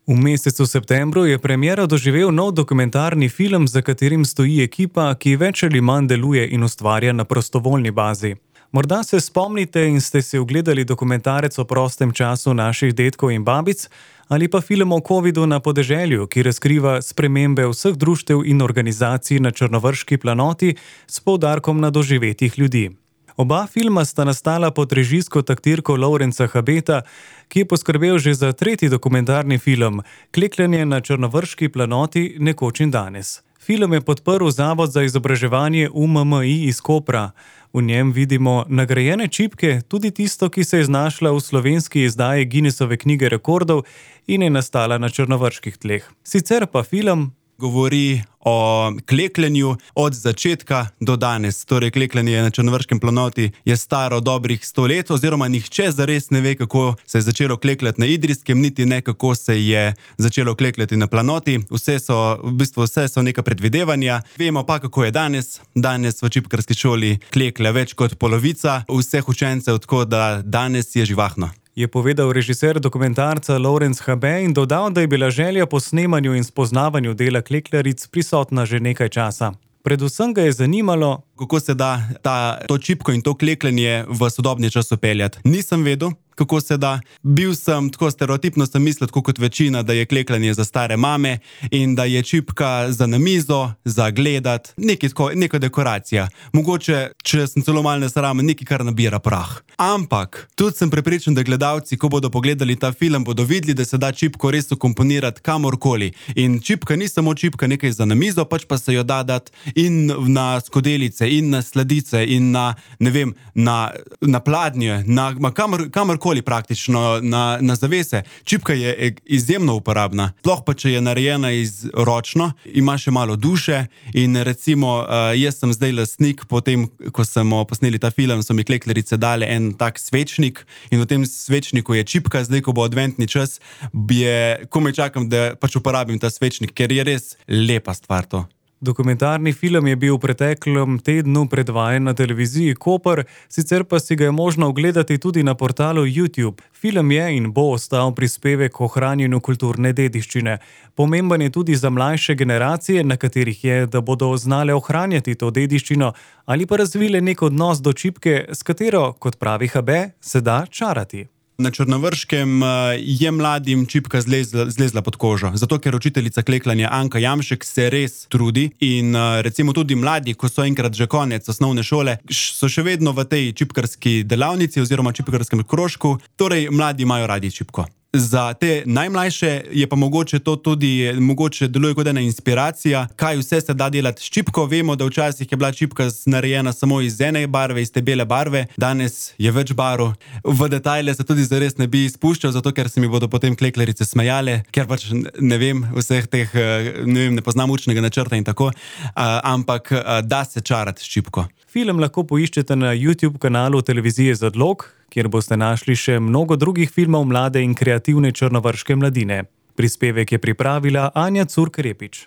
V mesecu septembru je premiero doživel nov dokumentarni film, za katerim stoji ekipa, ki več ali manj deluje in ustvarja na prostovoljni bazi. Morda se spomnite in ste si ogledali dokumentarec o prostem času naših dedkov in babic, ali pa film o covidu na podeželju, ki razkriva spremembe vseh društev in organizacij na Črnovrški planoti s poudarkom na doživetjih ljudi. Oba filma sta nastala pod režijsko taktirko Lovrenca Habeta, ki je poskrbel že za tretji dokumentarni film Klekljanje na Črnovrški planoti nekoč in danes. Film je podprl Zavod za izobraževanje UMMI iz Kopra. V njem vidimo nagrajene čipke, tudi tisto, ki se je znašla v slovenski izdaji Guinnessove knjige rekordov in je nastala na črnovrških tleh. Sicer pa film govori o klekljanju od začetka do danes. Torej, klekljanje na Črnovrškem planoti je staro dobrih 100 let, oziroma nihče zares ne ve, kako se je začelo klekljati na Idrijskem, niti ne, kako se je začelo klekljati na planoti. Vse so neka predvidevanja. Vemo pa, kako je danes. Danes v čipkarski šoli kleklja več kot polovica vseh učencev, tako da danes je živahno, je povedal režiser dokumentarca Lovrenc Habe in dodal, da je bila želja po snemanju in spoznavanju dela klekljaric prisotna že nekaj časa. Predvsem ga je zanimalo, kako se da to čipko in to klekljanje v sodobni čas peljati. Nisem vedel, kako se da. Bil sem tako stereotipno, sem mislil, tako kot večina, da je klekljanje za stare mame in da je čipka za na mizo, za gledat, neka dekoracija. Mogoče, če sem celo malo nesramen, nekaj, kar nabira prah. Ampak tudi sem prepričan, da gledalci, ko bodo pogledali ta film, bodo videli, da se da čipko res ukomponirati kamorkoli. In čipka ni samo čipka nekaj za na mizo, pač pa se jo da dati in na skodelice, in na sladice, in na, ne vem, na pladnje, kamorkoli praktično, na zavese. Čipka je izjemno uporabna. Sploh pa, če je narejena ročno, ima še malo duše in recimo, jaz sem zdaj lastnik, potem, ko smo posneli ta film, so mi klekljarice dale en tak svečnik in v tem svečniku je čipka. Zdaj, ko bo adventni čas, komaj čakam, da pač uporabim ta svečnik, ker je res lepa stvar to. Dokumentarni film je bil v preteklem tednu predvajan na televiziji Koper, sicer pa si ga je možno ogledati tudi na portalu YouTube. Film je in bo ostal prispevek k ohranjanju kulturne dediščine. Pomemben je tudi za mlajše generacije, na katerih je, da bodo znale ohranjati to dediščino ali pa razvile nek odnos do čipke, s katero, kot pravi Habe, se da čarati. Na Črnovrškem je mladim čipka zlezla pod kožo, zato ker učiteljica klekljanja Anka Jamšek se res trudi in recimo tudi mladi, ko so enkrat že konec osnovne šole, so še vedno v tej čipkarski delavnici oziroma čipkarskem krožku, torej mladi imajo radi čipko. Za te najmlajše je pa mogoče to tudi, deluje kot ena inspiracija, kaj vse se da delati s čipko. Vemo, da včasih je bila čipka narejena samo iz ene barve, iz te bele barve, danes je več barv. V detajle se tudi zares ne bi spuščal, zato ker se mi bodo potem klekljarice smejale, ker pač ne vem vseh teh, ne poznam učnega načrta in tako, ampak da se čarati s čipko. Film lahko poiščete na YouTube kanalu televizije Zadlog, kjer boste našli še mnogo drugih filmov mlade in kreativne črnovrške mladine. Prispevek je pripravila Anja Curk-Repič.